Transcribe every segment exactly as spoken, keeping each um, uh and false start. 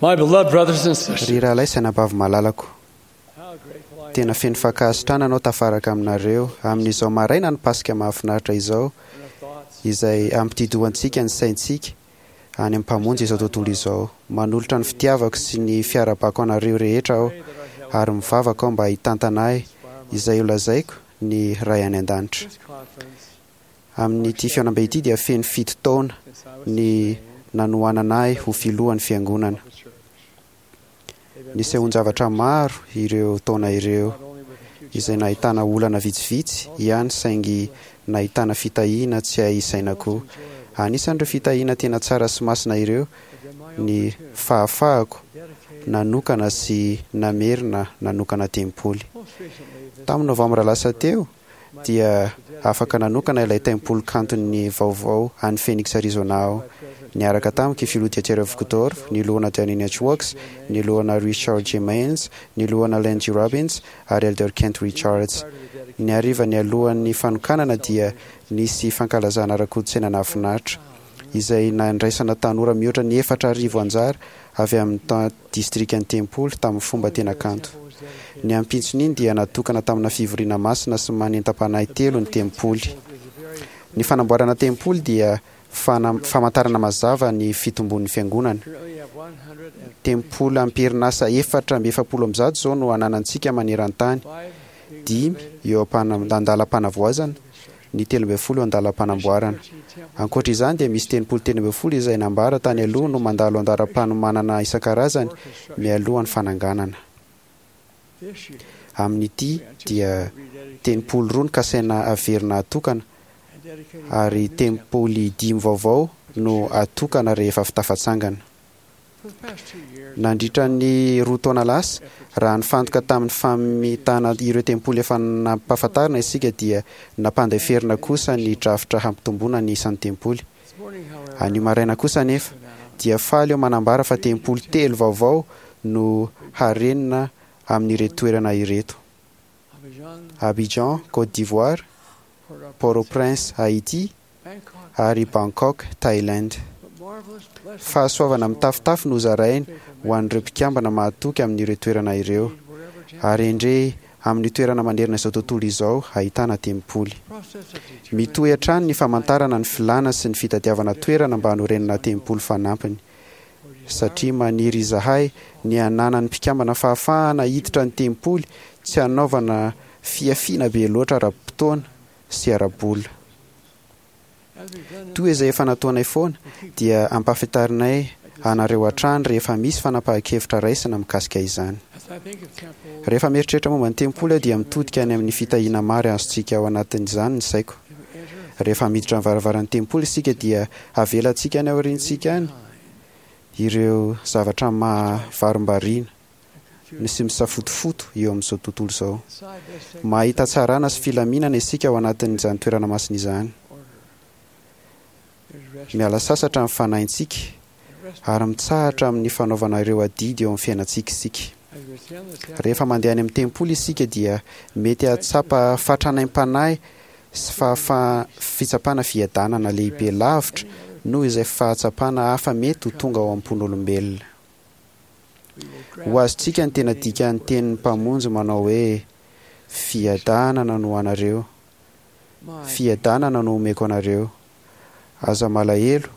My beloved brothers and sisters, Ry rahalahy sy anabavy malalako, how grateful I tena feno fankasitrahana anao tafaraka aminareo amin'izao maraina ny Paska mahafinaritra izao, am in our thoughts. Izay ampitidohantsika ny saintsika any amin'ny Mpamonjy izao tontolo izao. Manolotra ny fitiavako sy ny fiarahabako anareo rehetra aho, Pray that our heavenly ary mivavaka aho mba hitantana ahy inspire my izay holazaiko ny Ray any an-danitra. This conference, Amin'ity fihaonambe ity dia feno fito taona since I was ny sustained nanohanana ahy ho filohan'ny fiangonana. of the church. They've been Nisehoan-javatra maro ireo taona ireo, not only with a few izay nahitana olana vitsivitsy ihany, saingy nahitana fitahiana tsy hay isaina koa. Anisan'ireo fitahiana tena tsara sy masina ireo have been my ny opportunity fahafahako to dedicate nanokana sy namerina nanokana tempoly. most recently this Tamin'ny novambra lasa teo my dia to dedicate afaka nanokana ilay tempoly kantony vaovao any Phoenix, Arizona aho. by President Niaraka tamiko i filoha Dieter Uchtdorf, ny lohana Dallin H. Oaks, ny lohana Richard J. Maines, ny lohana Len G. Robbins ary Elder Kent Richards. prior to the dedication Ny hariva ny alohan'ny fanokanana dia nisy fankalazana ara-kolontsaina nahafinaritra, izay nandraisana tanora mihoatra ny efatra arivo anjara avy amin'ny ta- distrikan'ny tempoly tamin'ny fomba tena kanto. was dedicated Ny ampitson'iny dia natokana tamina fivoriana masina sy manentam-panahy telo ny tempoly. is a very Ny fanamboarana tempoly dia fana- famantarana mazava ny fitombon'ny fiangonana. currently have one hundred and Tempoly am-perinasa efatra amby efapolo amby zato izao no ananantsika maneran-tany, five being dimy renovated eo am-pana- andalam-panavoazana, ny telo ambin'ny folo eo andalam-panamboarana. thirteen temples Ankoatra izany dia misy tempoly telo ambin'ny folo izay nambara tany aloha no mandalo andalam-panomanana isan-karazany or construction. mialohan'ny fananganana. This year, Amin'ity we anticipate dia rededicating tempoly roa no kasaina averina atokana and dedicating ary five new temples. tempoly dimy vaovao no atokana rehefa fitafatsangana. For the past two years, Nandritra ny roa taona lasa, efforts raha nifantoka tamin'ny famitana ireo tempoly efa nampahafantarina isika, dia nampandeferina kosa ny drafitra hampitomboana ny isan'ny tempoly. this morning, however, Anio maraina kosa anefa dia faly eo manambara fa tempoly telo vaovao no harenina amin'ireto toerana ireto: Abidjan, Abidjan, Côte d'Ivoire, Port-au-Prince, Port-au-Prince, Haïti Bangkok, ary Bangkok, Thaïlande. but marvelous blessings Fahasoavana mitafotafo no zaraina ho an'ireo mpikambana mahatoky amin'ireo toerana ireo, wherever temple ary endrey amin'ny toerana manerana izao tontolo izao ahitana tempoly. process of determining Mitohy hatrany ny famantarana ny filàna sy ny fitadiavana toerana mba hanorenana tempoly fanampiny, satria maniry izahay ny hananan'ny mpikambana fahafahana hiditra ny tempoly tsy hanaovana fiafiana be loatra ara-potoana sy ara-bola. as we've done in Toy izay efa nataonay foana dia ampahafantarinay anareo hatrany rehefa misy fanapahan-kevitra raisina mikasika izany. as I think of temples, Rehefa mieritreritra momba ny tempoly aho dia mitodika any amin'ny fitahiana maro azontsika ao anatin'izany ny saiko. and we enter Rehefa miditra ny varavaran'ny tempoly isika dia avelantsika any aoriantsika any ireo zavatra mahavarimbariana confused sy misafotofoto eo amin'izao tontolo izao. inside this sacred Mahita tsarana sy filaminana isika ao anatin'izany toerana masina izany. order. There's rest Miala sasatra ny fanahintsika and rest ary mitsahatra amin'ny fanaovana ireo adidy eo amin'ny fiainantsika isika. as we attend the temple. Rehefa mandeha any amin'ny tempoly isika dia mety hahatsapa fatranaim-panahy sy fahafa- fitsapana fiadanana lehibe lavitra noho izay fahatsapana hafa mety ho tonga ao am-pon'olombelona. We will Ho azontsika ny tena dikan'ny tenin'ny Mpamonjy manao hoe: "Fiadanana no anareo, my fiadanana no omeko anareo. Aza malahelo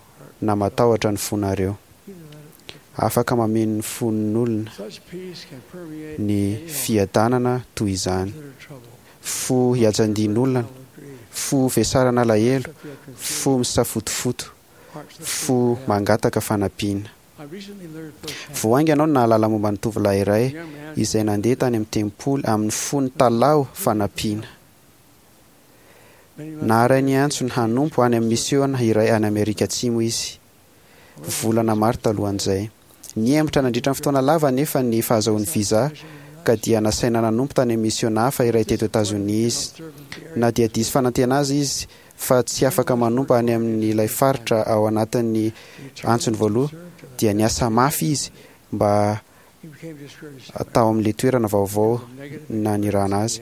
na matahotra ny fonareo." either let it- Afaka mameno ny fon'olona Such peace can permeate ny any heart fiadanana toy izany. that are troubled, Fo iajandin'olona, full of grief, fo vesarana alahelo, that feel confused, fo misafotofoto, hearts that fo seek for help. mangataka fanampiana. I recently learned firsthand Vao haingana aho no nahalala momba ny tovolahy iray a young man izay nandeha tany amin'ny tempoly amin'ny fo nitalaho fanampiana. many months Naharay ny antsony hanompo any amin'ny misiona iray any Amerika Atsimo izy, volana maro talohan'izay. Nihemotra nandritra ny fotoana lava nefa ny fahazahoany visa, ka dia nasaina nanompo tany amin'ny misiona hafa iray teto Etazonia izy. Na dia diso fanantena azy izy fa tsy afaka manompo any amin'ilay faritra ao anatin'ny antsony voaloha, dia niasa mafy izy mba He became discouraged tao amin'ilay toerana vaovao negative nanirahana azy.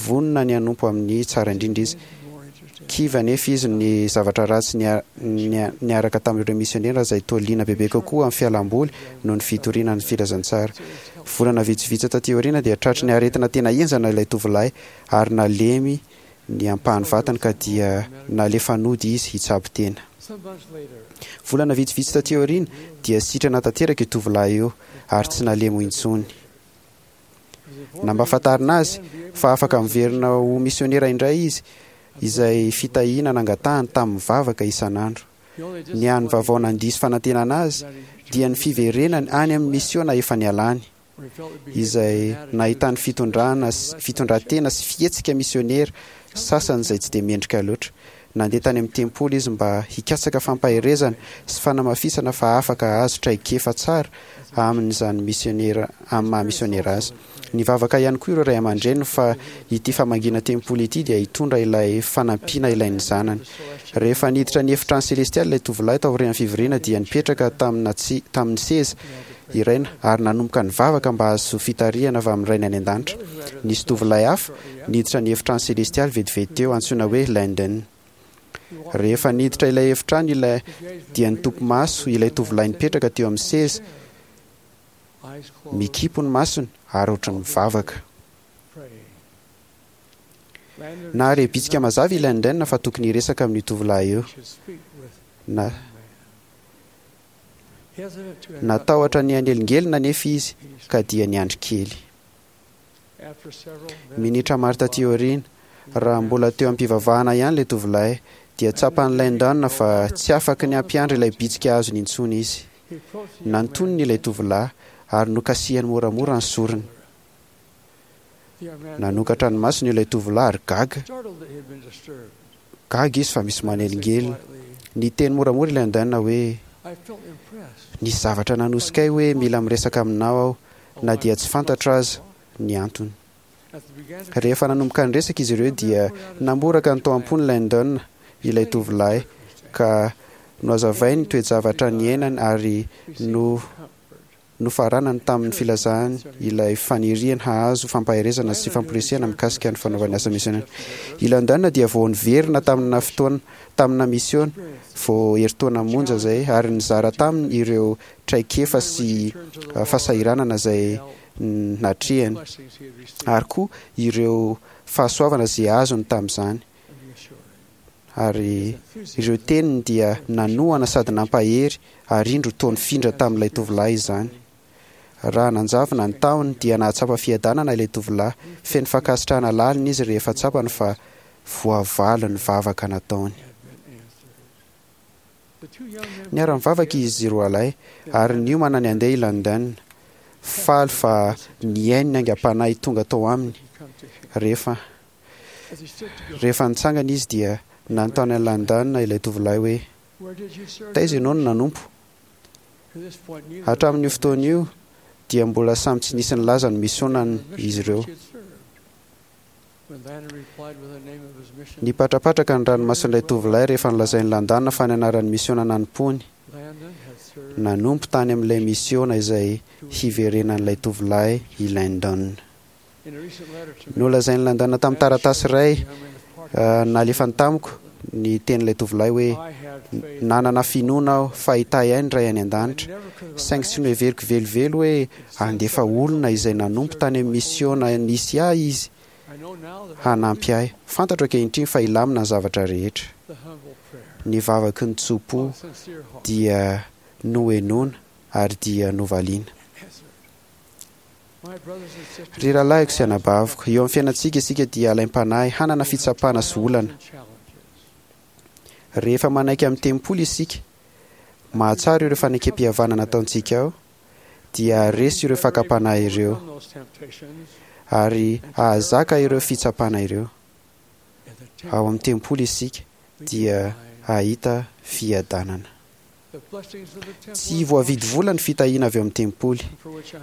Vonona ny hanompo amin'ny tsara indrindra izy. more interested. Kivy anefa izy ny zavatra ratsy niaraka tamin'ireo misionera izay toa liana bebe kokoa amin'ny fialamboly noho ny fitoriana ny filazantsara. Volana vitsivitsy taty aoriana dia tratry ny aretina tena henjana ilay tovolahy ary nalemy ny ampahan'ny vatany ka dia nalefa nody izy hitsabo tena. Volana vitsivitsy taty aoriana dia sitrana tanteraka io tovolahy io ary tsy nalemy intsony. Nampahafantarina azy fa afaka miverina ho misionera indray izy, izay fitahiana nangatahany tamin'ny vavaka isan'andro. Ny hany vaovao nandiso fanantenana azy dia ny fiverenany any amin'ny misiona efa nialany, izay nahitany fitondrana fitondran-tena sy fihetsika misionera sasany izay tsy dia mendrika loatra. Nandeha tany amin'ny tempoly izy mba hikatsaka fampaherezana sy fanamafisana fa afaka hahazo traikefa tsara amin'izany misionera amin'ny maha misionera azy. Nivavaka ihany koa ireo ray aman-dreniny fa ity famangiana tempoly ity dia hitondra ilay fanampiana ilain'ny zanany. Rehefa niditra ny efitrano selestialy ilay tovolahy taorian'ny fivoriana dia nipetraka tamina tsy tamin'ny seza iray ary nanomboka nivavaka mba hahazo fitarihana avy amin'ny rainy any an-danitra. Nisy tovolahy hafa niditra ny efitrano selestialy vetivety teo, antsoina hoe Landon. Rehefa niditra ilay efitrano ilay dia nitopy maso ilay tovolahy nipetraka teo amin'ny seza, mikipy ny masony ary ohatran'ny mivavaka. Nahare bitsika mazava i Landon fa tokony hiresaka amin'io tovolahy io. Na natahotra ny hanelingelina nefa izy ka dia niandry kely. Minitra maro taty aoriana, raha mbola teo am-pivavahana ihany ilay tovolahy, dia tsapan'i Landon fa tsy afaky ny hampiandry ilay bitsika azony intsony izy. Nantoniny ilay tovolahy ary nokasihany moramora ny sorony. Nanokatra ny masony ilay tovolahy ary gaga. Gaga izy fa misy manelingelina. Niteny moramora i Landon hoe: "Nisy zavatra nanosika ahy hoe mila miresaka aminao aho, na dia tsy fantatro aza ny antony." Rehefa nanomboka niresaka izy ireo dia namboraka ny tao am-pony Landon ilay tovolahy ka nohazavainy ny toe-javatra niainany ary no nofaranany tamin'ny filazany ilay faniriany hahazo fampaherezana sy famporisihana mikasika ny fanaovany asa misionera. I Landon dia vao niverina tamina fotoana tamina misiona vao herintaona monja izay ary nizara taminy ireo traikefa sy fahasahiranana izay natrehany ary koa ireo fahasoavana izay azony tamin'izany. Ary ireo teniny dia nanohana sady nampahery ary indro toa nifindra tamin'ilay tovolahy izany. Raha nanjavona ny tahony dia nahatsapa fiadanana ilay tovolahy, feno fankasitrahana lalina izy rehefa tsapany fa voavaly ny vavaka nataony. Niara-nivavaka izy roalahy ary niomana ny handeha i Landon, faly fa nihaino ny aingam-panahy tonga tao aminy. Rehefa rehefa nitsangana izy dia nanontany an'i Landon ilay tovolahy hoe: "Taiza ianao no nanompo?" Hatramin'io fotoana io dia mbola samy tsy nisy nilaza ny misionany izy ireo. Nipatrapatraka ny ranomason'ilay tovolahy rehefa nolazain'i Landon fa ny anaran'ny misiona nanompoany. Nanompo tany amin'ilay misiona izay hiverenan'ilay tovolahy i Landon. Nolazain'i Landon tamin'ny taratasy iray nalefany tamiko ny tenin'ilay tovolahy hoe: "Nanana finoana aho fa hitahy ahy ny Ray any an-danitra, saingy tsy noheveriko velively hoe handefa olona izay nanompo tany amin'ny misiona nisy ahy izy hanampy ahy. Fantatro ankehitriny fa hilamina ny zavatra rehetra." Ny vavaky ny tso-po dia nohenoina ary dia novaliana. Ry rahalahiko sy anabaviko, eo amin'ny fiainantsika isika dia alaim-panahy hanana fitsapana sy olana. Rehefa manaiky amin'ny tempoly isika, mahatsara ireo fanekem-pihavanana nataontsika ao, dia haharesy ireo fakam-panahy ireo ary hahazaka ireo fitsapana ireo. Ao amin'ny tempoly isika dia hahita fiadanana. Tsy voavidy vola ny fitahiana avy ao amin'ny tempoly.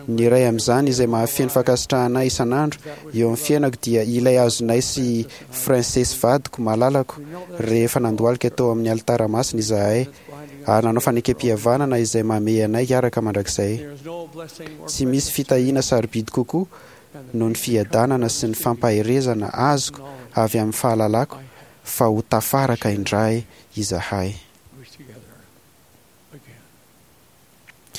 Ny iray amin'izany izay mahafeno fankasitrahana ahy isan'andro eo amin'ny fiainako dia ilay azonay sy Frances vadiko malalako rehefa nandohalika tao amin'ny alitara masina izahay ary nanao fanekem-pihavanana izay mamehy anay hiaraka mandrakizay. Tsy misy fitahiana sarobidy kokoa noho ny fiadanana sy ny fampaherezana azoko avy amin'ny fahalalako fa ho tafaraka indray izahay. We together again.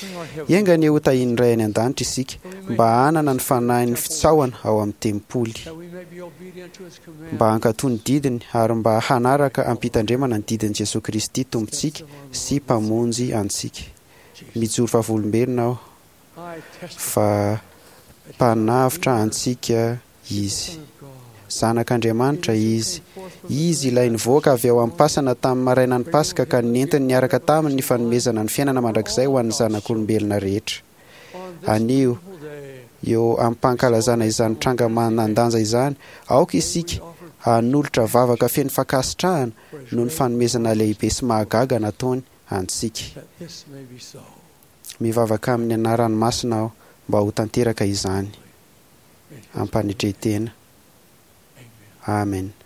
May our heavenly Enga anie ho tahian'ny Ray any an-danitra isika mba hanana ny fanahin'ny fitsaohana ao amin'ny tempoly, that we may be obedient to his command. mba hankatò ny didiny ary mba hanaraka am-pitandremana ny didin'i Jesosy Kristy Tompontsika sy Mpamonjy antsika. Mijoro vavolombelona aho I testify fa mpanavotra antsika Izy. Son of God. Zanak'Andriamanitra Izy. Izy ilay nivoaka avy ao am-pasana tamin'ny marainan'ny Paska ka nentiny niaraka taminy ny fanomezana ny fiainana mandrakizay ho an'ny zanak'olombelona rehetra. On this Anio, wonderful day, eo am-pankalazana izany tranga manan-danja izany, aoka isika hanolotra vavaka feno fankasitrahana for his noho ny great fanomezana lehibe sy mahagaga nataony antsika. that this may be so. Mivavaka amin'ny anarany masina aho mba ho tanteraka izany. In his Ampanetren-tena. Amen. Amen.